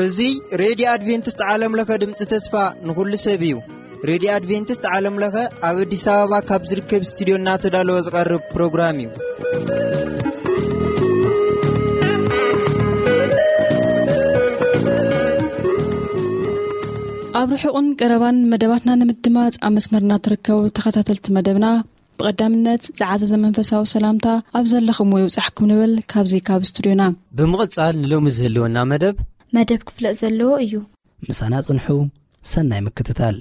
እዚ ሬድዮ ኣድቬንቲስት ዓለም ለኸ ድምፂ ተስፋ ንኹሉ ሰብ እዩ። ሬድዮ ኣድቬንቲስት ዓለም ለኸ ኣብ ኣዲስ ኣበባ ካብ ዝርከብ ስቱዲዮ እናተዳለወ ዝቐርብ ፕሮግራም እዩ። ኣብ ርሑቕን ቀረባን መደባትና ንምድማፅ ኣብ መስመርና ትርከቡ ተኸታተልቲ መደብና፣ ብቐዳምነት ዝዓዘዘ መንፈሳዊ ሰላምታ ኣብ ዘለኹምዎ ይብጻሕኩም ንብል ካብዚ ካብ ስቱዲዮና። ብምቕጻል ንሎሚ ዝህልወና መደብ መደብ ክፍለጥ ዘለዎ እዩ። ምሳና ጽንሑ፣ ሰናይ ምክትታል።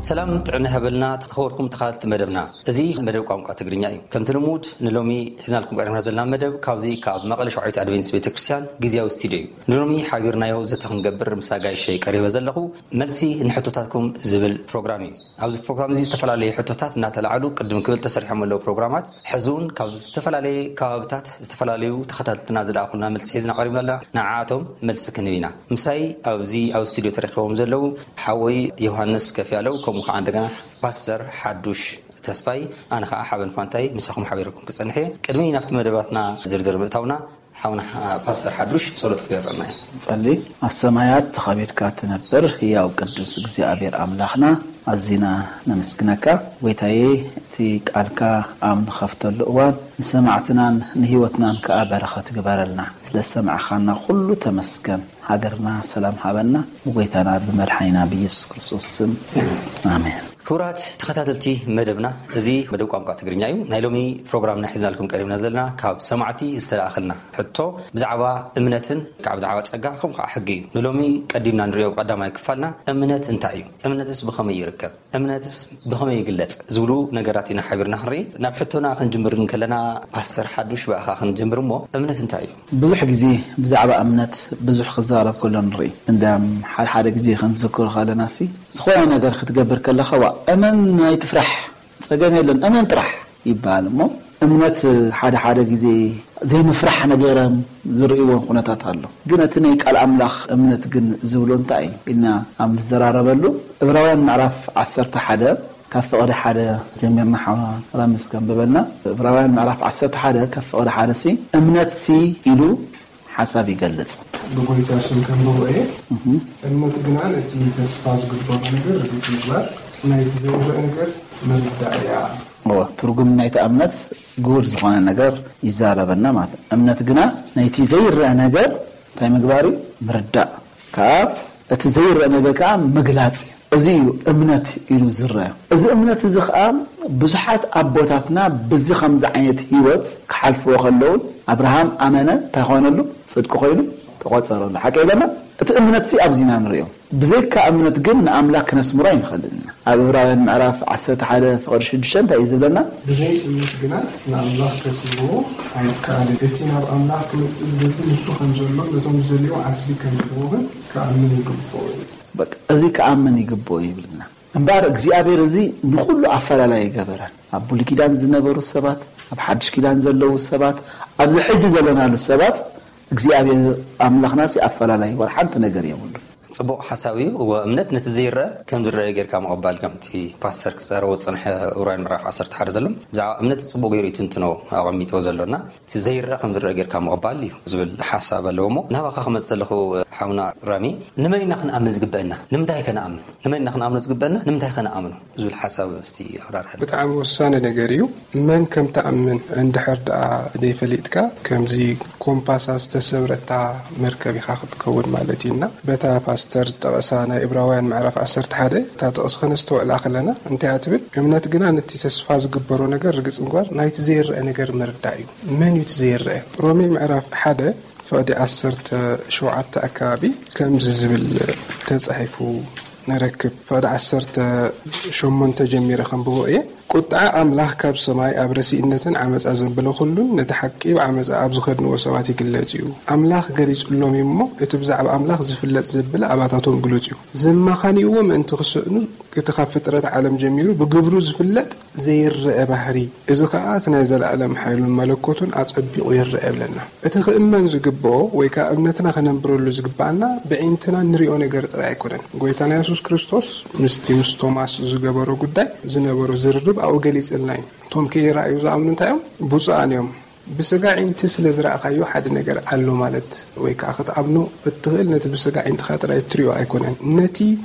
ሰላም ጥዕና ይሃበልና ተኸበርኩም ተኻተልቲ መደብና። እዚ መደብ ቋንቋ ትግርኛ እዩ። ከምቲ ልሙድ ንሎሚ ሒዝናልኩም ቀሪብና ዘለና መደብ ካብዚ ካብ መቐለ ሸዋዒት ኣድቬንቲስት ቤተክርስትያን ግዝያዊ ስቱዲዮ እዩ። ንሎሚ ሓቢርናዮ ዘተ ክንገብር ምስ ኣጋይሸይ ቀሪበ ዘለኹ መልሲ ንሕቶታትኩም ዝብል ፕሮግራም እዩ። ኣብዚ ፕሮግራም እዚ ዝተፈላለዩ ሕቶታት እናተላዕሉ ቅድም ክብል ተሰሪሖም ኣለዉ ፕሮግራማት። ሕዚ እውን ካብ ዝተፈላለየ ከባብታት ዝተፈላለዩ ተኸታተልትና ዝለኣኹልና መልሲ ሒዝና ቀሪብና ኣለና። ንዓኣቶም መልሲ ክንህብ ኢና። ምሳይ ኣብዚ ኣብ ስቱዲዮ ተረኪቦም ዘለዉ ሓወይ ዮሃንስ ከፍያለው፣ ከምኡ ከዓ እንደገና ፓስተር ሓዱሽ ተስፋይ፣ ኣነ ከዓ ሓበን ፋንታይ ምሳኹም ሓቢረኩም ክጸንሕ እየ። ቅድሚ ናብቲ መደባትና ዝርዝር ምእታውና፣ ሓውና ፓስተር ሓዱሽ ጸሎት ክገብረና እዩ። ጸሊ። ኣብ ሰማያት ተኸቢድካ ትነብር ህያው ቅዱስ እግዚኣብሔር ኣምላኽና፣ ኣዚና ነመስግነካ። ጎይታዬ፣ እቲ ቃልካ ኣብ ንኸፍተሉ እዋን ንሰማዕትናን ንህይወትናን ከኣ በረኸት ግበረልና። ስለ ሰማዕኻና ኩሉ ተመስገን። ሃገርና ሰላም ሃበና፣ ብጎይታና ብመድሓኒና ብኢየሱስ ክርስቶስ ስም፣ ኣሜን። ክቡራት ተኸታተልቲ መደብና፣ እዚ መደብ ቋንቋ ትግርኛ እዩ። ናይ ሎሚ ፕሮግራምና ሒዝናልኩም ቀሪብና ዘለና ካብ ሰማዕቲ ዝተላእኸልና ሕቶ ብዛዕባ እምነትን ከዓ ብዛዕባ ጸጋ ከምኡ ከዓ ሕጊ እዩ። ንሎሚ ቀዲምና ንሪኦ ቀዳማይ ክፋልና እምነት እንታይ እዩ? እምነትስ ብኸመይ ይርከብ? እምነትስ ብኸመይ ይግለጽ? ዝብሉ ነገራት ኢና ሓቢርና ክንርኢ። ናብ ሕቶና ክንጅምር እንከለና ፓስተር ሓዱሽ ብኣኻ ክንጅምር እሞ እምነት እንታይ እዩ? ብዙሕ ግዜ ብዛዕባ እምነት ብዙሕ ክዛረብ ከሎ ንርኢ። እንዳም ሓደ ሓደ ግዜ ክንዝክሮ ከለና ሲ ዝኾነ ነገር ክትገብር ከለኻ ዋ እመን ኣይትፍራሕ ጸገም የለን እመን ጥራሕ ይበሃል እሞ እምነት ሓደ ሓደ ግዜ ዘይምፍራሕ ነገርም ዝርእይዎ ኩነታት ኣሎ። ግን እቲ ናይ ቃል ኣምላኽ እምነት ግን ዝብሎ እንታይ እዩ ኢልና ኣብ ንዘራረበሉ እብራውያን ምዕራፍ ዓሰርተ ሓደ ካብ ፍቕዲ ሓደ ጀሚርና ሓዋ ራምስ ከንብበልና። እብራውያን ምዕራፍ ዓሰርተ ሓደ ካብ ፍቕዲ ሓደ ሲ እምነት ሲ ኢሉ ሓሳብ ይገልጽ። ብጎይታ ስም ከንብቦ እየ። እምነት ግና ነቲ ተስፋ ዝግበሮ ነገር ርግጽ ምግባር፣ ናይቲ ዘይረአ ነገር ምርዳእ እያ። እወ፣ ትርጉም ናይቲ እምነት ግሁድ ዝኾነ ነገር ይዛረበና ማለት እዩ። እምነት ግና ናይቲ ዘይረአ ነገር እንታይ ምግባር እዩ? ምርዳእ። ካብ እቲ ዘይረአ ነገር ከዓ ምግላጽ እዩ። እዚ እዩ እምነት ኢሉ ዝረአ። እዚ እምነት እዚ ከዓ ብዙሓት ኣቦታትና ብዚ ከምዚ ዓይነት ህይወት ክሓልፍዎ ከለዉ ኣብርሃም ኣመነ እንታይ ኾነሉ? ጽድቂ ኮይኑ ተቖጸረሉ። ሓቂ ኣለና? እቲ እምነት ሲ ኣብዚ ኢና ንርእዮ። ብዘይካ እምነት ግን ንኣምላኽ ክነስምሮ ኣይንኽእልን ኢና። ኣብ ዕብራውያን ምዕራፍ ዓሰርተ ሓደ ፍቕዲ ሽዱሽተ እንታይ እዩ ዝብለና? ብዘይ እምነት ግና ንኣምላኽ ከስምርዎ ኣይከኣልን። እቲ ናብ ኣምላኽ ክመጽእ ዝደሊ ንሱ ከም ዘሎ ነቶም ዝደልይዎ ዓስቢ ከም ዝህቦ ግን ክኣምን ይግብኦ እዩ። በቃ፣ እዚ ክኣምን ይግብኦ ይብልና። እምበኣር እግዚኣብሔር እዚ ንኹሉ ኣፈላላይ ኣይገበረን። ኣብ ብሉይ ኪዳን ዝነበሩ ሰባት፣ ኣብ ሓድሽ ኪዳን ዘለዉ ሰባት፣ ኣብዚ ሕጂ ዘለናሉ ሰባት እግዚኣብሔር ኣምላኽናሲ ኣፈላላይ ወላ ሓንቲ ነገር የብሉን። ጽቡቕ ሓሳብ እዩ። እወ፣ እምነት ነቲ ዘይረአ ከም ዝረአ ጌርካ ምቕባል፣ ከምቲ ፓስተር ክዛረቦ ዝጸንሐ ዕብራውያን ምዕራፍ ዓሰርተ ሓደ ዘሎ፣ ብዛዕባ እምነት ጽቡቕ ገይሩ እዩ ትንትኖ ኣቐሚጥዎ ዘሎና። እቲ ዘይረአ ከም ዝረአ ጌርካ ምቕባል እዩ ዝብል ሓሳብ ኣለዎ። እሞ ናባኻ ክመጽእ ዘለኹ፣ ሓውና ራሚ፣ ንመን ኢና ክንኣምን ዝግበአና? ንምንታይ ከነኣምን? ንመን ኢና ክንኣምኖ ዝግበአና? ንምንታይ ከነኣምኖ? ዝብል ሓሳብ እስቲ ኣብራርሐልና። ብጣዕሚ ወሳኒ ነገር እዩ። መን ከም ትኣምን እንድሕር ደኣ ዘይፈሊጥካ፣ ከምዚ ኮምፓሳ ዝተሰብረታ መርከብ ኢኻ ክትከውን ማለት እዩ። እና በታ ፓስተር ዝጠቐሳ ናይ ዕብራውያን ምዕራፍ ዓሰርተ ሓደ እታ ጥቕሲ ከነስተውዕላ ከለና እንታይ እያ ትብል? እምነት ግና ነቲ ተስፋ ዝግበሮ ነገር ርግጽ ምግባር፣ ናይቲ ዘይረአ ነገር ምርዳእ እዩ። መን እዩ እቲ ዘይረአ? ሮሜ ምዕራፍ ሓደ ፍቕዲ ዓሰርተ ሸውዓተ ኣካባቢ ከምዚ ዝብል ተጻሒፉ ንረክብ። ፍቕዲ ዓሰርተ ሸሞንተ ጀሚረ ከንብቦ እየ። ቁጥዓ ኣምላኽ ካብ ሰማይ ኣብ ረሲእነትን ዓመጻ ዘበለ ኩሉን ነቲ ሓቂ ብዓመጻ ኣብ ዝኸድንዎ ሰባት ይግለጽ እዩ። ኣምላኽ ገሊጹሎም እዩ እሞ፣ እቲ ብዛዕባ ኣምላኽ ዝፍለጥ ዘበለ ኣባታቶም ግሉጽ እዩ። ዘማኻንይዎ ምእንቲ ክስእኑ፣ እቲ ካብ ፍጥረት ዓለም ጀሚሩ ብግብሩ ዝፍለጥ ዘይረአ ባህሪ፣ እዚ ኸኣ እቲ ናይ ዘለኣለም ሓይሉን መለኮቱን ኣጸቢቑ ይረአ ይብለና። እቲ ክእመን ዝግብኦ ወይ ከኣ እምነትና ከነንብረሉ ዝግብኣና ብዒንትና እንሪኦ ነገር ጥራይ ኣይኮነን። ጎይታና የሱስ ክርስቶስ ምስቲ ምስ ቶማስ ዝገበሮ ጉዳይ ዝነበሮ ዝርርብ ኣብኡ ገሊጽልና እዩ። እቶም ከይረኣዩ ዝኣምኑ እንታይ እዮም? ብፁዓን እዮም። ብስጋ ዒንቲ ስለ ዝረኣኻዮ ሓደ ነገር ኣሎ ማለት ወይ ከኣ ክትኣምኖ እትኽእል ነቲ ብስጋ ዒንትኻ ጥራይ እትሪኦ ኣይኮነን። ነቲ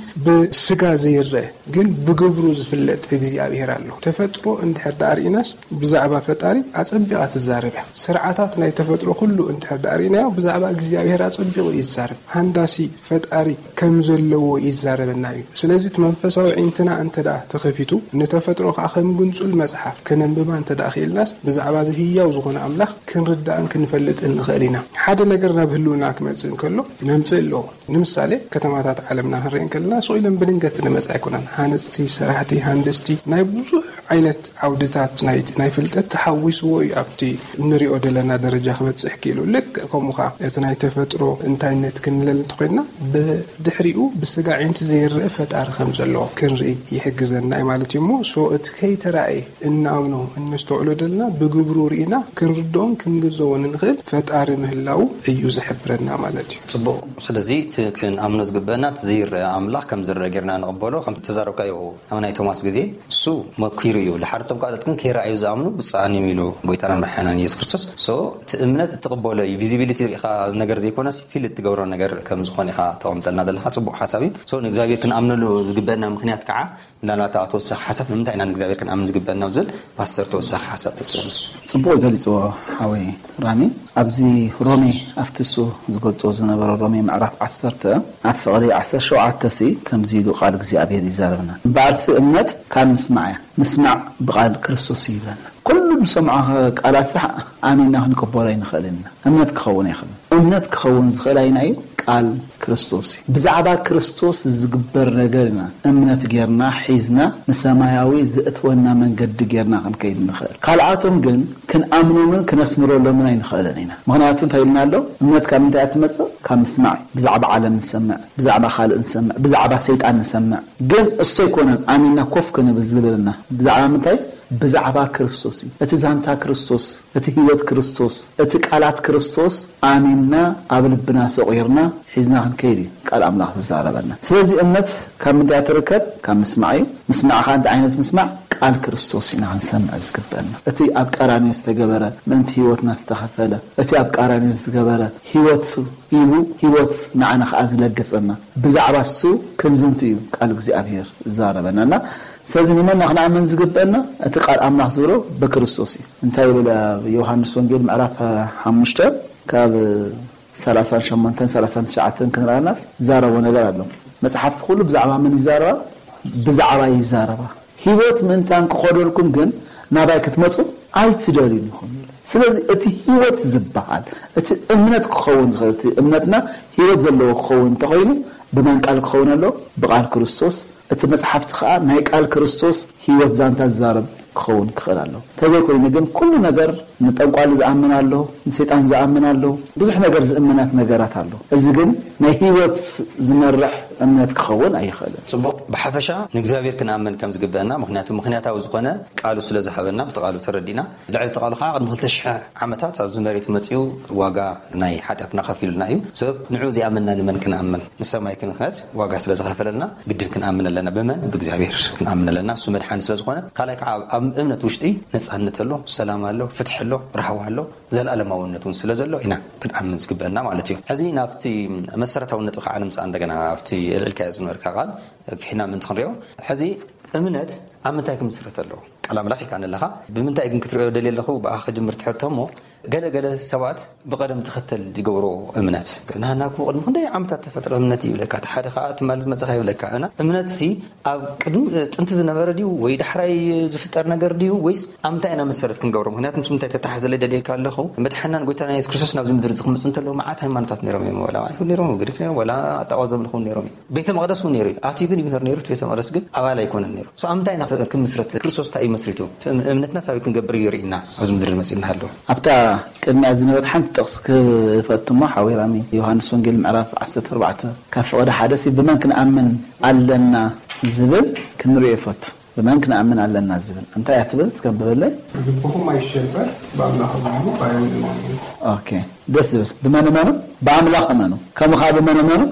ብስጋ ዘይረአ ግን ብግብሩ ዝፍለጥ እግዚኣብሔር ኣሎ። ተፈጥሮ እንድሕር ደኣ ርኢናስ ብዛዕባ ፈጣሪ ኣጸቢቓ ትዛረብ እያ። ስርዓታት ናይ ተፈጥሮ ኩሉ እንድሕር ደኣ ርኢናዮ ብዛዕባ እግዚኣብሔር ኣጸቢቑ እዩ ዝዛረብ። ሃንዳሲ ፈጣሪ ከም ዘለዎ ይዛረበና እዩ። ስለዚ እቲ መንፈሳዊ ዒንትና እንተ ደኣ ተኸፊቱ፣ ንተፈጥሮ ከኣ ከም ግንጹል መጽሓፍ ከነንብባ እንተ ደኣ ክኢልናስ፣ ብዛዕባ እዚ ህያው ዝኾነ ኣምላኽ ክንርዳእን ክንፈልጥን ንኽእል ኢና። ሓደ ነገር ናብ ህልውና ክመጽእ እንከሎ መምጽኢ ኣለዎ። ንምሳሌ፣ ከተማታት ዓለምና ክንርኢ እንከለና፣ ስቕ ኢለን ብድንገት ዝመጻ ኣይኮናን። ሃነጽቲ፣ ሰራሕቲ፣ ሃንደስቲ፣ ናይ ብዙሕ ዓይነት ዓውድታት ናይ፣ ናይ ፍልጠት ተሓዊስዎ እዩ ኣብቲ እንሪኦ ዘለና ደረጃ ክበጽሕ ክኢሉ። ልክዕ ከምኡ ኸኣ፣ እቲ ናይ ተፈጥሮ እንታይነት ክንለል እንተኾይንና፣ ብድሕሪኡ ብስጋ ዒንቲ ዘይረአ ፈጣሪ ከም ዘሎ ክንርኢ ይሕግዘና እዩ ማለት እዩ እሞ፣ ሶ እቲ ከይተራእየ እንኣምኖ እነስተውዕሎ ዘለና፣ ብግብሩ ርኢና ክንርድኦን ክንግንዘቦን እንኽእል ፈጣሪ ምህላዉ እዩ ዝሕብረና ማለት እዩ። ጽቡቕ። ስለዚ እቲ ክንኣምኖ ዝግበአና፣ እቲ ዘይረአ ኣምላኽ ከም ዝረአ ጌርና ንቕበሎ። ከም ዝተዛረብካዮ ኣብ ናይ ቶማስ ግዜ፣ እሱ መኪሩ እዩ። ድሓር እቶም ካልኦት ግን ከይረኣዩ ዝኣምኑ ብፁዓን እዮም ኢሉ ጎይታናን መድሓናን የሱስ ክርስቶስ። ሶ፣ እቲ እምነት እትቕበሎ እዩ። ቪዚቢሊቲ ርኢኻ ነገር ዘይኮነስ፣ ፊል እትገብሮ ነገር ከም ዝኾነ ኢኻ ተቐምጠልና ዘለኻ። ጽቡቕ ሓሳብ እዩ። ሶ፣ ንእግዚኣብሔር ክንኣምነሉ ዝግበአና ምኽንያት ከዓ፣ ምናልባት ኣብ ተወሳኺ ሓሳብ፣ ንምንታይ ኢና ንእግዚኣብሔር ክንኣምን ዝግበአና ዝብል ፓስተር ተወሳኺ ሓሳብ ተትህበና። ጽቡቕ ገሊጽዎ ሓወይ ራሚ። ኣብዚ ሮሜ፣ ኣብቲ እሱ ዝገልጾ ዝነበረ ሮሜ ምዕራፍ ዓሰርተ፣ ኣብ ፍቕዲ ዓሰርተ ሸውዓተ ሲ ከምዚ ኢሉ ቃል እግዚኣብሔር ይዛረብና። እምበኣርሲ እምነት ካብ ምስማዕ እያ፣ ምስማዕ ብቃል ክርስቶስ እዩ ይብለና። ኩሉ ንሰምዖ ቃላት ሳሕ ኣሚንና ክንቅበሎ ኣይንኽእልን ኢና። እምነት ክኸውን ኣይኽእልን። እምነት ክኸውን ዝኽእል ኣይና እዩ? ቃል ክርስቶስ እዩ። ብዛዕባ ክርስቶስ ዝግበር ነገር ኢና እምነት ጌርና ሒዝና ንሰማያዊ ዘእትወና መንገዲ ጌርና ክንከይድ ንኽእል። ካልኣቶም ግን ክንኣምኖምን ክነስምረሎምን ኣይንኽእልን ኢና። ምኽንያቱ እንታይ ኢልና ኣሎ? እምነት ካብ ምንታይ እያ ትመጽእ? ካብ ምስማዕ እዩ። ብዛዕባ ዓለም ንሰምዕ፣ ብዛዕባ ካልእ ንሰምዕ፣ ብዛዕባ ሰይጣን ንሰምዕ። ግን እሱ ኣይኮነን ኣሚንና ኮፍ ክንብል ዝብለና። ብዛዕባ ምንታይ? ብዛዕባ ክርስቶስ እዩ። እቲ ዛንታ ክርስቶስ፣ እቲ ህይወት ክርስቶስ፣ እቲ ቃላት ክርስቶስ ኣሚንና ኣብ ልብና ሰቑርና ሒዝና ክንከይድ እዩ ቃል ኣምላኽ ዝዛረበና። ስለዚ እምነት ካብ ምንታይ እያ ትርከብ? ካብ ምስማዕ እዩ። ምስማዕ ኸኣ እንታይ ዓይነት ምስማዕ? ቃል ክርስቶስ ኢና ክንሰምዕ ዝግበአና። እቲ ኣብ ቀራንዮ ዝተገበረ፣ ምእንቲ ህይወትና ዝተኸፈለ፣ እቲ ኣብ ቀራንዮ ዝተገበረ ህይወት ሂቡ፣ ህይወት ንዓና ኸኣ ዝለገሰና፣ ብዛዕባ እሱ ክንዝንቱ እዩ ቃል እግዚኣብሔር ዝዛረበና። እና ስለዚ ንመና ክንኣምን ዝግበአና? እቲ ቃል ኣምላኽ ዝብሎ ብክርስቶስ እዩ። እንታይ ይብል ኣብ ዮሃንስ ወንጌል ምዕራፍ ሓሙሽተ ካብ ሰላሳን ሸሞንተን ሰላሳን ትሽዓተን ክንርኣናስ ዝዛረቦ ነገር ኣሎ። መጽሓፍቲ ኩሉ ብዛዕባ መን ይዛረባ? ብዛዕባ ይዛረባ። ህይወት ምእንታን ክኸደልኩም ግን ናባይ ክትመጹ ኣይትደልዩን ኢኹም ይብል። ስለዚ እቲ ህይወት ዝበሃል፣ እቲ እምነት ክኸውን ዝኽእል፣ እቲ እምነትና ህይወት ዘለዎ ክኸውን እንተኾይኑ፣ ብመን ቃል ክኸውን ኣሎ? ብቃል ክርስቶስ። እቲ መጽሓፍቲ ከኣ ናይ ቃል ክርስቶስ ህይወት ዛንታ ዝዛረብ ክኸውን ክኽእል ኣለዎ። እንተዘይኮይኑ ግን ኩሉ ነገር ንጠንቋሊ ዝኣምን ኣሎ፣ ንሰይጣን ዝኣምን ኣሎ፣ ብዙሕ ነገር ዝእምናት ነገራት ኣሎ። እዚ ግን ናይ ህይወት ዝመርሕ እምነት ክኸውን ኣይኽእልን። ጽቡቕ። ብሓፈሻ ንእግዚኣብሔር ክንኣምን ከም ዝግበአና፣ ምኽንያቱ ምኽንያታዊ ዝኾነ ቃሉ ስለ ዝሃበና፣ ብቲ ቃሉ ተረዲእና፣ ልዕሊ እቲ ቃሉ ከዓ ቅድሚ ክልተ ሽሕ ዓመታት ኣብዚ መሬት መጺኡ ዋጋ ናይ ሓጢኣትና ከፊሉልና እዩ። ሰብ ንዑ ዘይኣመንና ንመን ክንኣምን? ንሰማይ ክንኸድ ዋጋ ስለ ዝኸፈለልና ግድን ክንኣምን ኣለና። ብመን? ብእግዚኣብሔር ክንኣምን ኣለና። እሱ መድሓኒ ስለ ዝኾነ፣ ካልኣይ ከዓ ኣብ፣ ኣብ እምነት ውሽጢ ነጻነት ኣሎ፣ ሰላም ኣሎ፣ ፍትሒ ኣሎ፣ ራህዋ ኣሎ፣ ዘለኣለማውነት እውን ስለ ዘሎ ኢና ክንኣምን ዝግበአና ማለት እዩ። ሕዚ ናብቲ መሰረታዊ ነጥቢ ከዓ ንምጻእ እንደገና ኣብቲ ኣልዒልካዮ ዝነበርካ ቃል ኣግፊሕና ምእንቲ ክንሪኦ፣ ሕዚ እምነት ኣብ ምንታይ ክምስረት ኣለዎ? ቃል ኣምላኽ ኢልካ ኣለኻ። ብምንታይ ግን ክትሪኦ ደልየ ኣለኹ? ብኣኻ ክጅምር ትሕቶ እሞ፣ ገለ ገለ ሰባት ብቐደም ተኸተል ይገብሮ እምነት። ንሃና እኮ ቅድሚ ክንደይ ዓመታት ተፈጥረ እምነት ይብለካ፣ እቲ ሓደ ከዓ ትማሊ ዝመፀኻ ይብለካ። እና እምነት ሲ ኣብ ቅድሚ ጥንቲ ዝነበረ ድዩ ወይ ዳሕራይ ዝፍጠር ነገር ድዩ ወይስ ኣብ ምንታይ ኢና መሰረት ክንገብሮ? ምክንያቱ ምስ ምንታይ ተተሓዘለ ደልየካ ኣለኹ፣ መድሓናን ጎይታና የሱስ ክርስቶስ ናብዚ ምድሪ ዝክምፁ እንተለዉ መዓት ሃይማኖታት ነይሮም እዮም። ወላ ኣይሁድ ነይሮም፣ ግሪክ ነይሮም፣ ወላ ኣጣዋ ዘምልኹ ነይሮም እዮም። ቤተ መቕደስ እውን ነይሩ እዩ። ኣትዩ ግን ይምህር ነይሩ። እቲ ቤተ መቕደስ ግን ኣባል ኣይኮነን ነይሩ። So ኣብ ምንታይ ኢና ክምስረት? ክርስቶስ እንታይ እዩ መስሪቱ? እቲ እም- እምነትና ሳበይ ክንገብር እዩ ርኢና ኣብዚ ምድሪ መፂእና ኣለዉ። ኣብታ ቅድሚያ ዝነበረት ሓንቲ ጥቕስ ክፈትሞ ሓዊራሚ። ዮሃንስ ወንጌል ምዕራፍ ዓሰርተ ኣርባዕተ ካብ ፍቕዲ ሓደ ሲ ብመን ክንኣምን ኣለና ዝብል ክንሪኦ ይፈቱ። ብመን ክንኣምን ኣለና ዝብል እንታይ እያ ትብል? እስከ ብበለይ። ልብኹም ኣይሸበር፣ ብኣምላኽ እመኑ፣ ብኣይ እውን እመኑ። ኦኬ፣ ደስ ዝብል። ብመን እመኑ? ብኣምላኽ እመኑ። ከምኡ ከዓ ብመን እመኑ?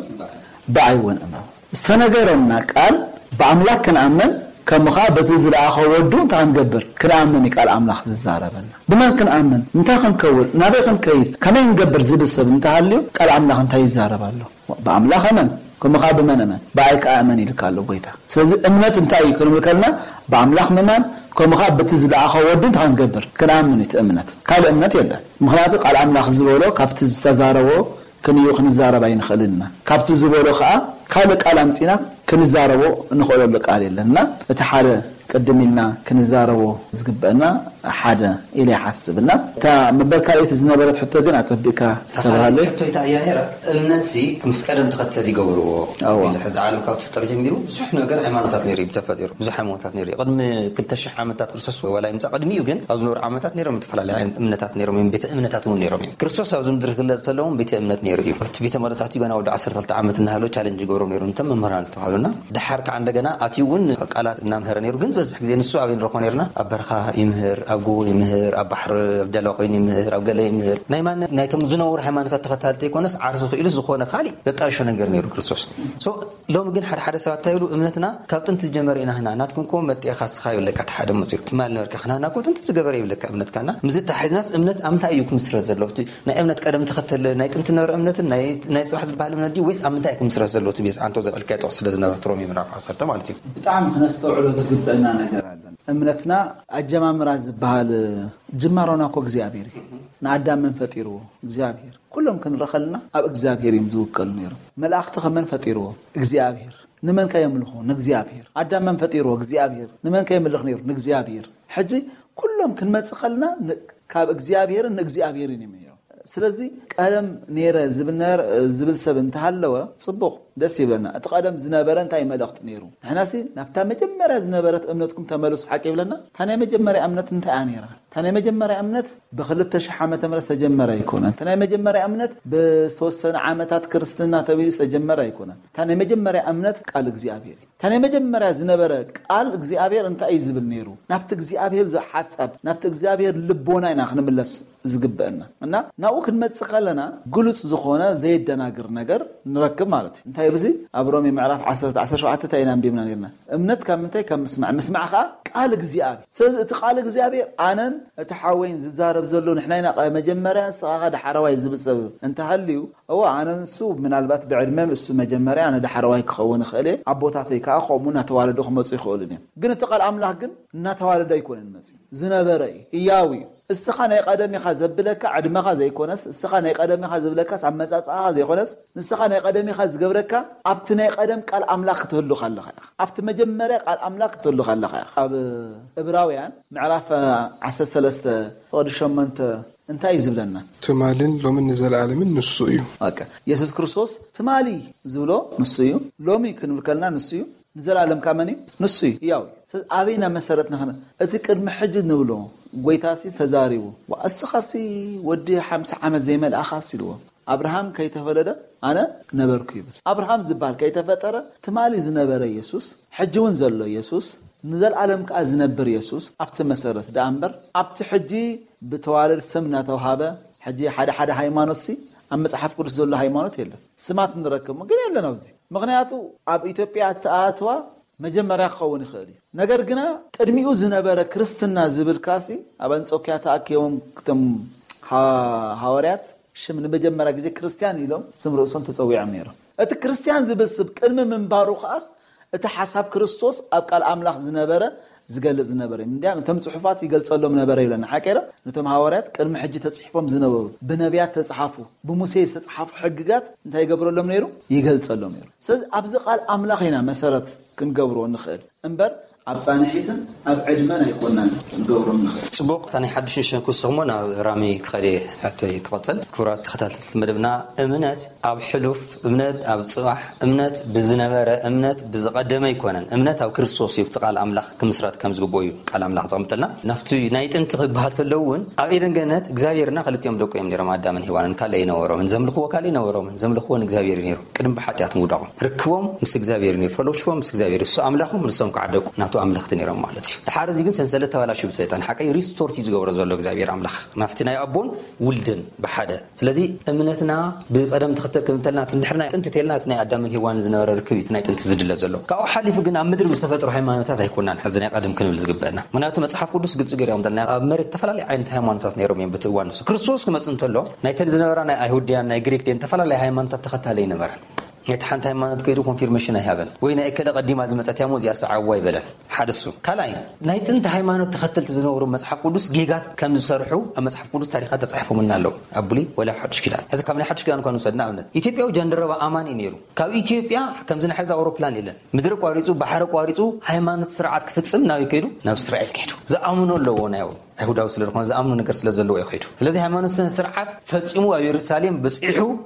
ብኣይ እውን እመኑ። ዝተነገረና ቃል ብኣምላኽ ክንኣምን፣ ከምኡ ከዓ በቲ ዝለኣኸ ወዱ እንታይ ክንገብር? ክንኣምን እዩ ቃል ኣምላኽ ዝዛረበና። ብመን ክንኣምን? እንታይ ክንከውን? ናበይ ክንከይድ? ከመይ ክንገብር? ዝብል ሰብ እንተሃልዩ ቃል ኣምላኽ እንታይ ይዛረብ ኣሎ? ብኣምላኽ እመን፣ ከምኡ ከዓ ብመን እመን? ብኣይ ከዓ እመን ኢልካ ኣሎ ጎይታ። ስለዚ እምነት እንታይ እዩ ክንብል ከለና ብኣምላኽ ምማን፣ ከምኡ ከዓ በቲ ዝለኣኸ ወዱ እንታይ ክንገብር? ክንኣምን እዩ እቲ እምነት። ካልእ እምነት የለን። ምክንያቱ ቃል ኣምላኽ ዝበሎ ካብቲ ዝተዛረቦ ክንዩ ክንዛረብ ኣይንኽእልን ኢና። ካብቲ ዝበሎ ከዓ ካልእ ቃል ኣምፂና ክንዛረቦ እንኽእለሉ ቃል የለን። እና እቲ ሓደ ቅድም ኢልና ክንዛረቦ ዝግበአና ሓደ ኢለ ይሓስብ። እና እታ መበል ካልኣይቲ ዝነበረት ሕቶ ግን ኣፀቢቕካ ተባሃለ። ሕቶይታ እያ ነይራ። እምነት ሲ ምስ ቀደም ተኸተል ይገብርዎ ኣዎ። ኢለ፣ ሕዚ ዓለም ካብ ትፍጠር ጀሚሩ ብዙሕ ነገር ሃይማኖታት ነይሩ እዩ ተፈጢሩ፣ ብዙሕ ሃይማኖታት ነይሩ እዩ። ቅድሚ ክልተ ሽሕ ዓመታት ክርስቶስ ዋላ ይምፃእ ቅድሚኡ ግን ኣብ ዝነበሩ ዓመታት ነይሮም ዝተፈላለዩ ዓይነት እምነታት ነይሮም እዮም። ቤተ እምነታት እውን ነይሮም እዮም። ክርስቶስ ኣብዚ ምድሪ ክግለፅ ከለዎም ቤተ እምነት ነይሩ እዩ። እቲ ቤተ መቅደስ ኣትዩ ገና ወዲ ዓሰርተ ክልተ ዓመት እናሃለወ ቻለንጅ ይገብሮም ነይሩ፣ እንተም መምህራን ዝተባሃሉና። ድሓር ከዓ እንደገና ኣትዩ እውን ቃላት እናምሀረ ነይሩ። ግን ዝበዝሕ ግዜ ንሱ ኣበይ ንረኽቦ ነይርና? ኣብ በረኻ ይምህር፣ ኣብ ጎቦ ይምህር፣ ኣብ ባሕሪ ኣብ ጃልባ ኮይኑ ይምህር፣ ኣብ ገለ ይምህር። ናይ ማነ ናይቶም ዝነበሩ ሃይማኖታት ተኸታልቲ ኣይኮነስ ዓርሱ ክኢሉ ዝኾነ ካሊእ ዘጣርሾ ነገር ነይሩ ክርስቶስ። So ሎሚ ግን ሓደ ሓደ ሰባት እንታይ ይብሉ? እምነትና ካብ ጥንቲ ዝጀመረ ኢና ህና፣ ናትኩም እኮ መጤኻ ስኻ ይብለካ። እቲ ሓደ መፅኡ ትማል ነበርካ፣ ክናና እኮ ጥንቲ ዝገበረ ይብለካ እምነትካና። ምስ ተሓዝናስ እምነት ኣብ ምንታይ እዩ ክምስረት ዘለዎ? እቲ ናይ እምነት ቀደም ተኸተል ናይ ጥንቲ ነበረ እምነትን ናይ ናይ ፅባሕ ዝበሃል እምነት ድዩ ወይስ ኣብ ምንታይ ክምስረት ዘለዎ? እቲ ቤዛ ኣንቶ ዘበልካዮ ጥቕሲ ስለ ዝነበረ፣ ሮሜ ምዕራፍ ዓሰርተ ማለት እዩ። ብጣዕሚ ክነስተውዕሎ ዝግበአና ነገር ኣለን። እምነትና ኣጀማምራ ዝበሃል፣ ጅማሮና እኮ እግዚኣብሔር እዩ። ንኣዳም መን ፈጢርዎ? እግዚኣብሔር። ኩሎም ክንረኸልና ኣብ እግዚኣብሔር እዮም ዝውከሉ ነይሮም። መላእኽቲ ከመን ፈጢርዎ? እግዚኣብሔር። ንመን ከየምልኹ? ንእግዚኣብሔር። ኣዳም መን ፈጢርዎ? እግዚኣብሔር። ንመን ከየምልኽ ነይሩ? ንእግዚኣብሔር። ሕጂ ኩሎም ክንመጽእ ከልና ን- ካብ እግዚኣብሔርን ንእግዚኣብሔርን እዮም ነይሮም። ስለዚ ቀደም ነይረ ዝብል ነ- ዝብል ሰብ እንተሃለወ ጽቡቕ፣ ደስ ይብለና። እቲ ቀደም ዝነበረ እንታይ መልእኽቲ ነይሩ? ንሕናሲ ናብታ መጀመርያ ዝነበረት እምነትኩም ተመለሱ ሓቂ ይብለና። እታ ናይ መጀመርያ እምነት እንታይ እያ ነይራ? እታ ናይ መጀመርያ እምነት ብክልተ ሽሕ ዓመተ ምህረት ዝተጀመረ ኣይኮነን። እታ ናይ መጀመርያ እምነት ብዝተወሰነ ዓመታት ክርስትና ተቢሉ ዝተጀመረ ኣይኮነን። እታ ናይ መጀመርያ እምነት ቃል እግዚኣብሔር እዩ። እታ ናይ መጀመርያ ዝነበረ ቃል እግዚኣብሔር እንታይ እዩ ዝብል ነይሩ? ናብቲ እግዚኣብሔር ዝሓሳብ ናብቲ እግዚኣብሔር ልቦና ኢና ክንምለስ ዝግበአና። እና ናብኡ ክንመጽእ ከለና ግሉጽ ዝኾነ ዘየደናግር ነገር ንረክብ ማለት እዩ። እንታይ ብዚ ኣብ ሮሜ ምዕራፍ ዓሰርተ ዓሰርተ ሸውዓተ እንታይ ኢና ኣንቢብና ነርና? እምነት ካብ ምንታይ? ካብ ምስማዕ፣ ምስማዕ ከዓ ቃል እግዚኣብሔር። ስለዚ እቲ ቃል እግዚኣብሔር ኣነን እቲ ሓወይን ዝዛረብ ዘሎ ንሕና ኢና መጀመርያ ንስኻ ዳሕረዋይ ዝብል ሰብ እንተሃልዩ፣ እወ ኣነ ንሱ ምናልባት ብዕድመ እሱ መጀመርያ ኣነ ዳሕረዋይ ክኸውን ይኽእል እየ። ኣቦታተይ ከዓ ከምኡ እናተዋለዱ ክመፁ ይኽእሉ እዮም። ግን እቲ ቃል ኣምላኽ ግን እናተዋለደ ኣይኮነን መፅዩ፣ ዝነበረ እዩ፣ ህያው እዩ። እስኻ ናይ ቀደም ኢኻ ዘብለካ ዕድመኻ ዘይኮነስ፣ እስኻ ናይ ቀደም ኢኻ ዝብለካስ ኣመፃፅኣኻ ዘይኮነስ፣ ንስኻ ናይ ቀደም ኢኻ ዝገብረካ ኣብቲ ናይ ቀደም ቃል ኣምላኽ ክትህሉ ከለኻ ኢኻ። ኣብቲ መጀመርያ ቃል ኣምላኽ ክትህሉ ከለኻ ኢኻ። ኣብ እብራውያን ምዕራፍ ዓሰርተ ሰለስተ ፍቕዲ ሸሞንተ እንታይ እዩ ዝብለና? ትማልን ሎምን ንዘለኣለምን ንሱ እዩ። በቃ የሱስ ክርስቶስ ትማሊ ዝብሎ ንሱ እዩ። ሎሚ ክንብል ከለና ንሱ እዩ። ንዘለኣለም ከኣ መን እዩ? ንሱ እዩ። ህያው እዩ። ስለዚ ኣበይና መሰረት ንኽነ? እቲ ቅድሚ ሕጂ ንብሎ ጎይታሲ ተዛሪቡ። ዋ፣ እስኻሲ ወዲ ሓምሳ ዓመት ዘይመልኣኻስ ኢልዎ። ኣብርሃም ከይተፈለደ ኣነ ነበርኩ ይብል። ኣብርሃም ዝበሃል ከይተፈጠረ ትማሊ ዝነበረ የሱስ፣ ሕጂ እውን ዘሎ የሱስ፣ ንዘለኣለም ከኣ ዝነብር የሱስ ኣብቲ መሰረት ደኣ እምበር ኣብቲ ሕጂ ብተዋረድ ስም እናተውሃበ ሕጂ ሓደ ሓደ ሃይማኖትሲ ኣብ መጽሓፍ ቅዱስ ዘሎ ሃይማኖት የለን። ስማት ንረክብ ግን የለን ኣብዚ። ምኽንያቱ ኣብ ኢትዮጵያ እተኣትዋ መጀመርያ ክኸውን ይኽእል እዩ። ነገር ግና ቅድሚኡ ዝነበረ ክርስትና ዝብል ካሲ ኣብ ኣንጾኪያ ተኣኪቦም ክቶም ሃ- ሃዋርያት ሽም ንመጀመርያ ግዜ ክርስትያን ኢሎም ስም ርእሶም ተጸዊዖም ነይሮም። እቲ ክርስትያን ዝብል ስም ቅድሚ ምንባሩ ከኣስ እቲ ሓሳብ ክርስቶስ ኣብ ቃል ኣምላኽ ዝነበረ ዝገልጽ ዝነበረ እዩ። እንዲያም እቶም ጽሑፋት ይገልጸሎም ነበረ ይብለና። ሓቀረ ነቶም ሃዋርያት ቅድሚ ሕጂ ተጽሒፎም ዝነበሩ፣ ብነቢያት ተጽሓፉ፣ ብሙሴ ዝተጽሓፉ ሕግጋት እንታይ ይገብረሎም ነይሩ? ይገልጸሎም ነይሩ። ስለዚ ኣብዚ ቃል ኣምላኽ ኢና መሰረት ክንገብሮ ንኽእል እምበር ኣብ ጻንሒትን ኣብ ዕድመን ኣይኮናን ክንገብሮ ንኽእል። ጽቡቕ፣ እታ ናይ ሓድሽ ንሸንኩ ስኽሞ ናብ ራሚ ክኸደ ሕቶይ ክቐጽል። ክቡራት ተኸታተልቲ መደብና፣ እምነት ኣብ ሕሉፍ፣ እምነት ኣብ ጽባሕ፣ እምነት ብዝነበረ፣ እምነት ብዝቐደመ ኣይኮነን። እምነት ኣብ ክርስቶስ እዩ፣ እቲ ቃል ኣምላኽ ክምስረት ከም ዝግብኦ እዩ ቃል ኣምላኽ ዘቐምጠልና። ናብቲ ናይ ጥንቲ ክበሃል ተሎ እውን ኣብ ኤደን ገነት እግዚኣብሔርና ክልቲኦም ደቁ እዮም ነይሮም፣ ኣዳምን ሄዋንን። ካልእ ኣይነበሮምን፣ ዘምልኽዎ ካልእ ኣይነበሮምን። ዘምልኽዎ ንእግዚኣብሔር እዩ ነይሩ። ቅድሚ ብሓጢኣት ምውዳቖም ርክቦም ምስ እግዚኣብሔር እዩ ነይሩ፣ ፈሎሽዎም ምስ እግዚኣብሔር እዩ። እሱ ኣምላኾም፣ ንሶም ከዓ ደቁ ናቱ ኣምለኽቲ ነይሮም ማለት እዩ። ድሓር እዚ ግን ሰንሰለት ተባላሽዩ ብሰይጣን ሓቀይ ሪስቶርት እዩ ዝገብሮ ዘሎ እግዚኣብሔር ኣምላኽ ናብቲ ናይ ኣቦን ውልድን ብሓደ። ስለዚ እምነትና ብቐደም ተኸተል ክንብል እንተልና፣ እቲ እንድሕር ናይ ጥንቲ ተልና፣ እቲ ናይ ኣዳምን ሄዋንን ዝነበረ ርክብ እዩ እቲ ናይ ጥንቲ ዝድለ ዘሎ። ካብኡ ሓሊፉ ግን ኣብ ምድሪ ብዝተፈጥሩ ሃይማኖታት ኣይኮናን ሕዚ ናይ ቀደም ክንብል ዝግበአና። ምክንያቱ መጽሓፍ ቅዱስ ግልጺ ገይሩ ይቕምጠልና። ኣብ መሬት ዝተፈላለዩ ዓይነት ሃይማኖታት ነይሮም እዮም። በቲ እዋን ንሱ ክርስቶስ ክመጽእ እንተሎ፣ ናይተን ዝነበራ ናይ ኣይሁድያን ናይ ግሪክ ድየን ዝተፈላለያ ሃይማኖታት ተኸታሊ ኣይነበረን። ነቲ ሓንቲ ሃይማኖት ከይዱ ኮንፊርሜሽን ኣይሃበን። ወይ ናይ እከለ ቀዲማ ዝመጸት እያ እሞ እዚኣ ሰዓብዋ ኣይበለን። ሓደ እሱ። ካልኣይ፣ ናይ ጥንቲ ሃይማኖት ተኸተልቲ ዝነበሩ መጽሓፍ ቅዱስ ጌጋት ከም ዝሰርሑ ኣብ መጽሓፍ ቅዱስ ታሪኻት ተጻሒፎምልና ኣለዉ። ኣብ ብሉይ ወላ ኣብ ሓዱሽ ኪዳን። ሕዚ ካብ ናይ ሓዱሽ ኪዳን እኳ ንውሰድ፣ ንኣብነት ኢትዮጵያዊ ጃንደረባ ኣማኒ ነይሩ። ካብ ኢትዮጵያ ከምዚ ናይ ሕዚ ኣውሮፕላን የለን። ምድሪ ቋሪጹ፣ ባሕሪ ቋሪጹ፣ ሃይማኖት ስርዓት ክፍጽም ናበይ ከይዱ? ናብ እስራኤል ከይዱ። ዝኣምኖ ኣለዎ፣ ናይ ኣይሁዳዊ ስለ ዝኾነ ዝኣምኖ ነገር ስለ ዘለዎ እዩ ከይዱ። ስለዚ ሃይማኖት ስነ ስርዓት ፈጺሙ ኣብ የሩሳሌም በጺሑ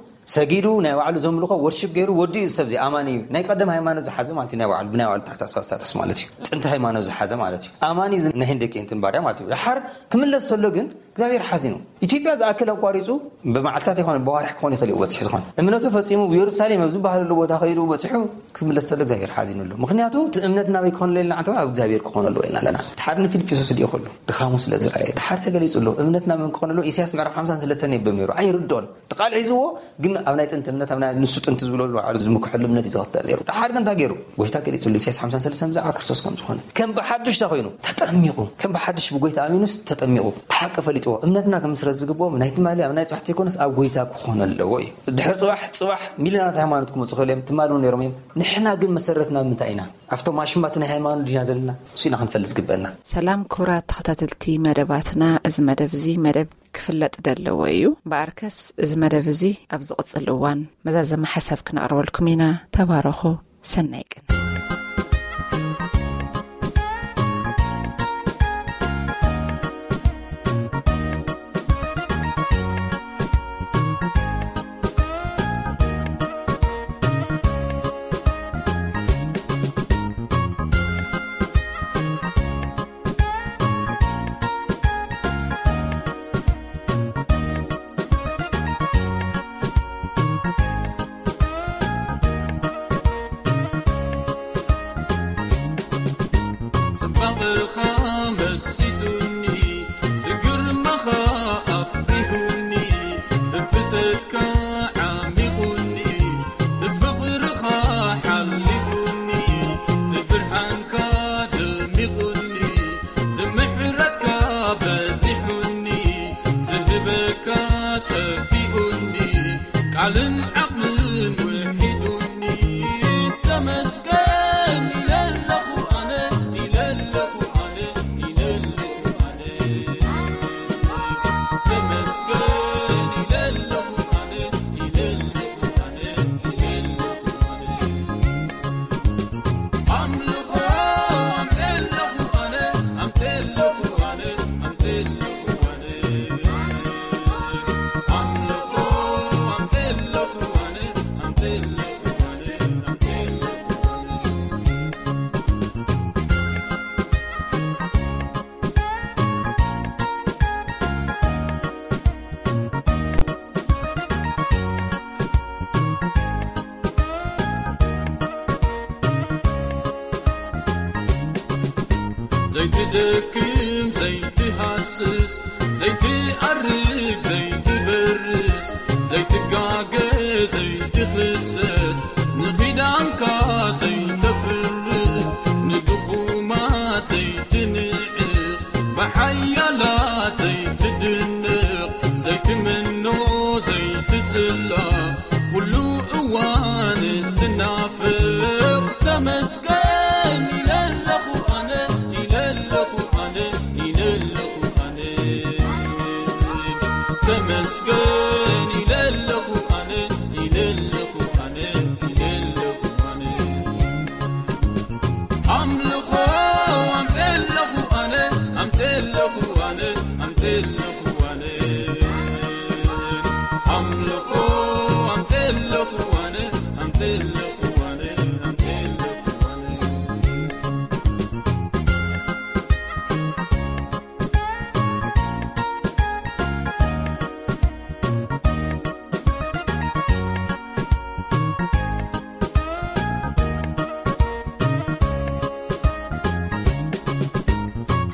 ሰጊዱ ናይ ባዕሉ ዘምልኾ ወርሺፕ ገይሩ ወዲኡ እዩ። ሰብ እዚ ኣማኒ እዩ። ናይ ቀደም ሃይማኖት ዝሓዘ ማለት እዩ። ናይ ባዕሉ፣ ብናይ ባዕሉ ተሓሳስባ ስታተስ ማለት እዩ። ጥንቲ ሃይማኖት ዝሓዘ ማለት እዩ። ኣማኒ እዚ ናይ ህንደኬ እንትን ባርያ ማለት እዩ። ድሓር ክምለስ ዘሎ ግን እግዚኣብሔር ሓዚኑ። ኢትዮጵያ ዝኣክል ኣቋሪጹ ብመዓልታት ይኾን ብዋርሕ ክኾን ይኽእል እዩ በጺሑ ዝኾነ። እምነቱ ፈጺሙ ኣብ የሩሳሌም ኣብ ዝበሃለሉ ቦታ ከይዱ በጺሑ ክምለስ ዘሎ እግዚኣብሔር ሓዚኑ ኣሎ። ምኽንያቱ እቲ እምነት ናበይ ክኾን ኣለና? ኣብ እግዚኣብሔር ክኾን ኣለዎ ኢልና ኣለና። ድሓር ንፊልጵስዩስ ድዮ ከሎ ድኻሙ ስለ ዝረኣየ ድሓር ተገሊጹ ኣሎ። እምነት ናበይ ክኾን ኣለዎ? ኢሳያስ ምዕራፍ ሓምሳን ሰለስተን የንብብ ነይሩ። ኣይርድኦን። እቲ ቃል ሒዝዎ ግን ኣብ ናይ ጥንቲ እምነት፣ ኣብ ናይ ንሱ ጥንቲ ዝብሎ ባዕሉ ዝምክሐሉ እምነት እዩ ዝኽተል ነይሩ። ድሓር ግን እንታይ ገይሩ? ጎይታ ገሊጹሉ፣ ኢሳያስ ሓምሳን ሰለስተን ብዛዕባ ክርስቶስ ከም ዝኾነ። ከም ብሓድሽ እንታይ ኮይኑ? ተጠሚቑ። ከም ብሓድሽ ብጎይታ ኣሚኑስ ተጠሚቑ። እቲ ሓቂ ፈሊጥዎ። እምነትና ክምስረት ዝግብኦም ናይ ትማሊ ኣብ ናይ ጽባሕ ዘይኮነስ ኣብ ጎይታ ክኾን ኣለዎ እዩ። ድሕሪ ጽባሕ፣ ጽባሕ ሚልዮናት ሃይማኖት ክመጹ ክኽእሉ እዮም። ትማሊ እውን ነይሮም እዮም። ንሕና ግን መሰረትና ምንታይ ኢና? ኣብቶም ኣሽማት ናይ ሃይማኖት ዲና ዘለና? እሱ ኢና ክንፈልጥ ዝግበአና። ሰላም ክቡራት ተኸታተልቲ መደባትና፣ እዚ መደብ እዚ መደብ ክፍለጥ ደለዎ እዩ። እምበኣርከስ እዚ መደብ እዚ ኣብ ዝቕጽል እዋን መዛዘሚ ሓሳብ ክነቕርበልኩም ኢና። ተባረኹ። ሰናይ ቅነ። ጽባቐኻ መሲጡኒ፣ ብግርማኻ ኣፍሪሁኒ፣ ብፍልጠትካ ዓሚቑኒ፣ ብፍቕርኻ ሓሊፉኒ፣ ብብርሃንካ ደሚቑኒ፣ ብምሕረትካ በዚሑኒ፣ ዝህበካ ጠፊኡኒ፣ ቃልን ዓቕልን ውሒዱኒ። ተመስገን ኢለ ኣለኹ ኣነ፣ ኢለ ኣለኹ ኣነ፣ ኢለ ኣለኹ ኣነ። ተመስገን ኢለ ኣለኹ ኣነ፣ ኢለ ኣለኹ ኣነ፣ ኢለ ኣለኹ ኣነ። ኣምልኾ ኣምፀለኹ ኣነ፣ ኣምፀለኹ ኣነ፣ ኣምፀለኹ ኣነ። ኣምልኾ ኣምፀለኹ ኣነ፣ ኣምፀለኹ ኣነ፣ ኣምፀለኹ ኣነ። ዘይትደክም ዘይትሃስስ፣ ዘይትኣርግ ዘይትበርስ፣ ዘይትጋገ ዘይትኽሰስ፣ ንኺዳንካ ዘይተፍርስ፣ ንድኹማት ዘይትንዕቕ፣ ብሓያላት ዘይትድነቕ፣ ዘይትምኖ ዘይትጽላእ፣ ኩሉ እዋን እትናፍቕ፣ ተመስገን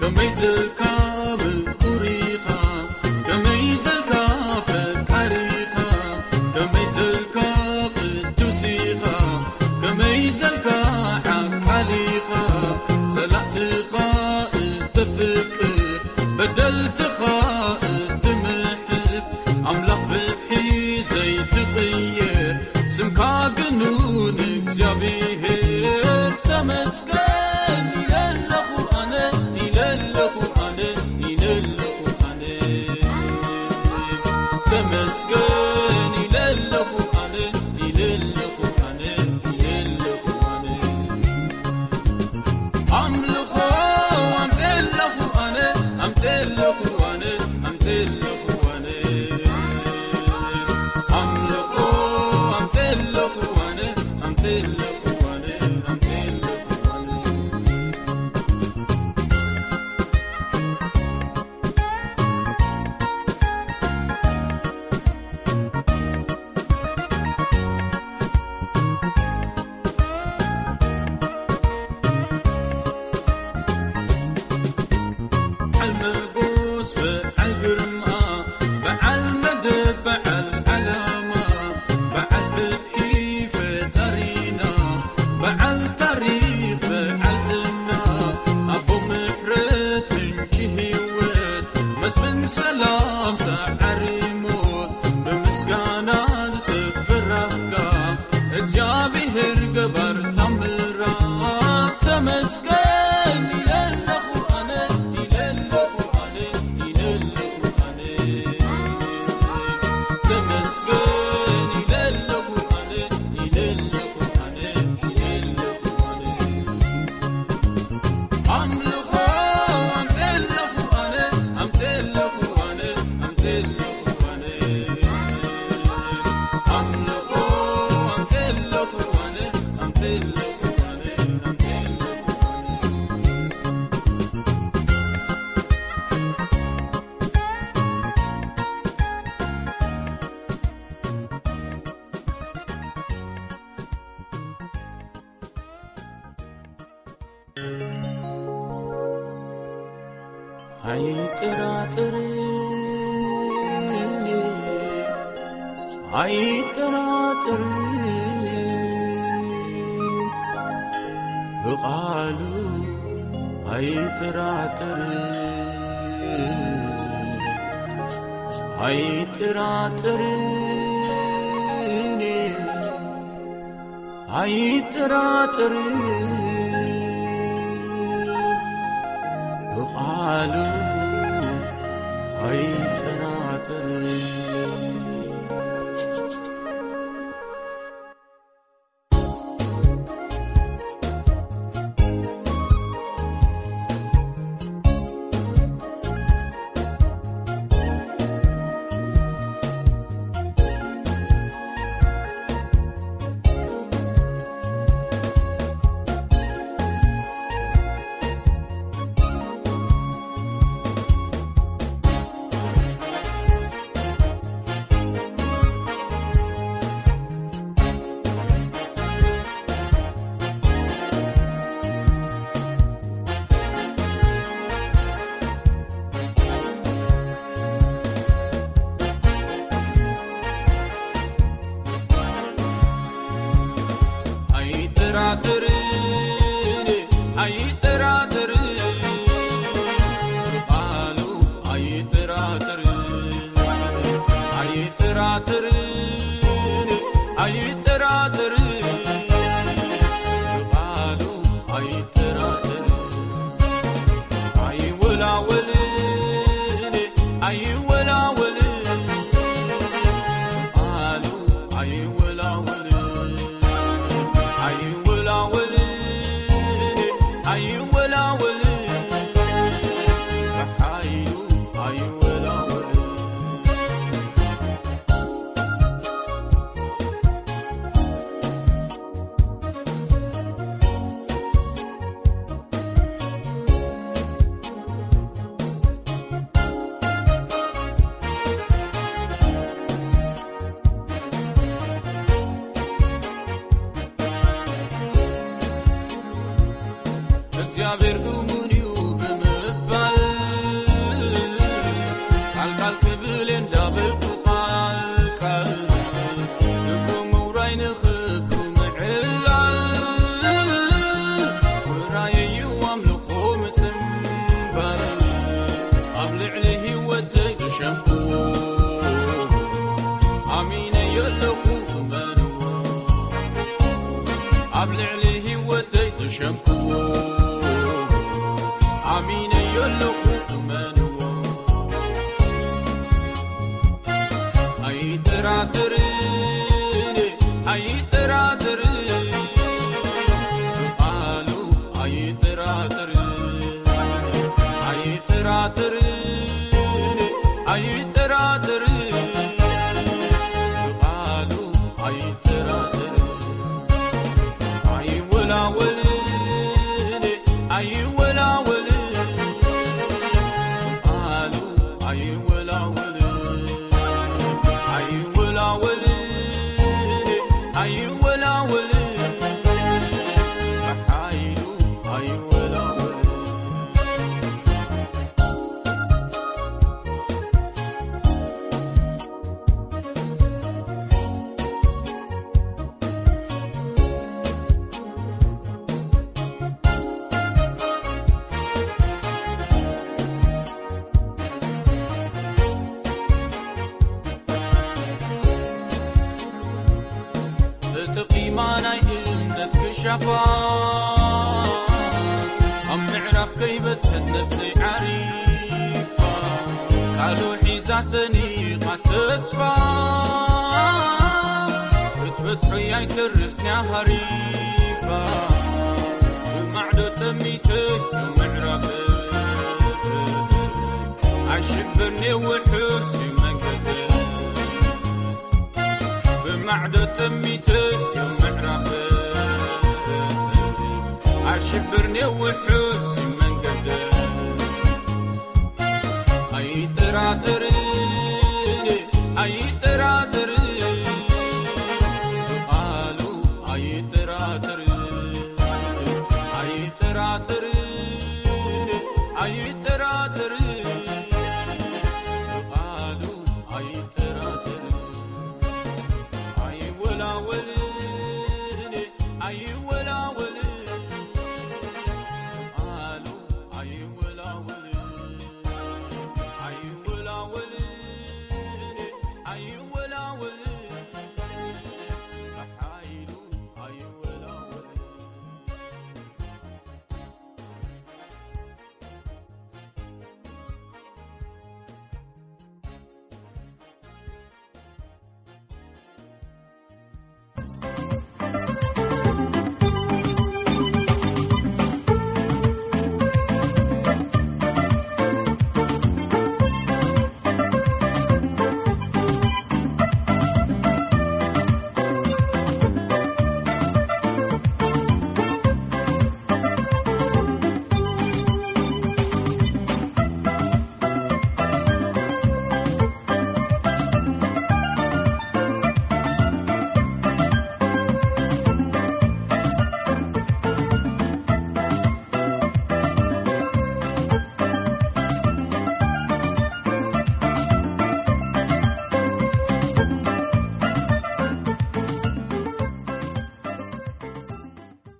ከመይ ዘልካ ምቁር ኢኻ፣ ከመይ ዘልካ ፈቃር ኢኻ፣ ከመይ ዘልካ ቅዱስ ኢኻ፣ ከመይ ዘልካ ዓቃል ኢኻ፣ ጸላእትኻ እተፍቅር፣ በደልትኻ እትምሕር፣ ኣምላኽ ፍትሒ ዘይትቕየር፣ ስምካ ግኑን እግዚኣብሔር። ተመስገን ኢለ ኣለኹ ኣነ፣ ኢለ ኣለኹ ኣነ፣ ኢለ ኣለኹ ኣነ። ተመስገን ኢለ ኣለኹ ኣነ፣ ኢለ ኣለኹ ኣነ፣ ኢለ ኣለኹ ኣነ። ኣምልኾ ኣምፅኤለኹ ኣነ፣ ኣምፅኤለኹ ኣነ፣ ኣምፅኤለኹ ኣነ። ኣምልኾ ኣምፅኤለኹ ኣነ፣ ኣምፅኤለኹ ኣነ፣ ኣምፅኤለኹ ኣነ። በዓል መጎስ፣ በዓል ግርማ፣ በዓል መደብ፣ በዓል ዓላማ፣ በዓል ፍትሒ ፈጣሪና፣ በዓል ታሪኽ፣ በዓል ዝና፣ ኣቦ ምሕረት፣ ምንጪ ህይወት፣ መስፍን ሰላም፣ ሰዓሪ ሞት፣ ብምስጋና ዝተፈራህካ፣ እግዚኣብሔር ገባር ታምራት። ተመስገን ኢለ ኣለኹ ኣነ፣ ኢለ ኣለኹ ኣነ፣ ኢለ ኣለኹ ኣነ። ተመስገን ኢለ ኣለኹ ኣነ፣ ኢለ ኣለኹ ኣነ፣ ኢለ ኣለኹ ኣነ። ኣምልኾ ኣምፅኤለኹ ኣነ፣ ኣምፅኤለኹ ኣነ፣ ኣምፅኤለኹ ኣነ። ኣምልኾ ኣምፅኤለኹ ኣነ፣ ኣምፅኤለኹ ኣነ፣ ኣምፅኤለኹ ኣነ። ኣይጠራጠርን፣ ኣይጠራጠርን፣ ብቓሉ ኣይጠራጠርን፣ ኣይጠራጠርን። ኣይጠራጠርን፣ ብቓሉ ኣይጠራጠርን። ኣይጠራጠርን፣ ኣይጠራጠርን፣ ቃሉ ኣይጠራጠርን፣ ኣይጠራጠርን፣ ኣይጠራጠርን፣ ቃሉ ኣይጠራጠርን። ኣይወላወልን፣ ኣይወላወልን፣ ቃሉ ኣይወላወልን፣ ኣይወላወልን፣ ኣይወላወልን፣ ብሓይሉ ኣይወላወልን። ኣብ ልዕሊ ህይወተይ ዝሸምክዎ ኣሚነዮ ኣለኹ፣ እመንዎ። ኣይጠራጥርን፣ ኣይጠራጥርን፣ ብቓሉ ኣይጠራጥርን፣ ኣይጠራጥርን፣ ኣይጠራጥርን፣ ብቓሉ ኣይጠራጥርን። ኣይወላወልን፣ ኣይወላወልን፣ ቃሉ ኣይወላወልን፣ ኣይወላወልን፣ ኣይወላወልን፣ ብሓይሉ ኣይወላወልን። ተጠቒማ ናይ እምነት ክሻፋ፣ ኣብ ምዕራፍ ከይበጽሐት ነፍሰይ ዓሪፋ፣ ቃሉ ሒዛ ሰኒቓ ተስፋ፣ ክትበጽሖ ኣይተርፍንያ ሃሪፋ፣ ብማዕዶ ጠሚተ ምዕራፍ፣ ኣይሽብርኒ ውሑስ እዩ መንገድ። ብማዕዶ ጠሚተ ምዕራፍ፣ ኣይሽብርኒ ውሑስ መንገድ። ኣይጠራጠርን፣ ኣይጠራጠርን፣ ብቓሉ ኣይጠራጠርን፣ ኣይጠራጠርን፣ ኣይጠራጠርን፣ ብቓሉ ኣይጠራጠርን። ኣይወላወልን፣ ኣይወላወልን።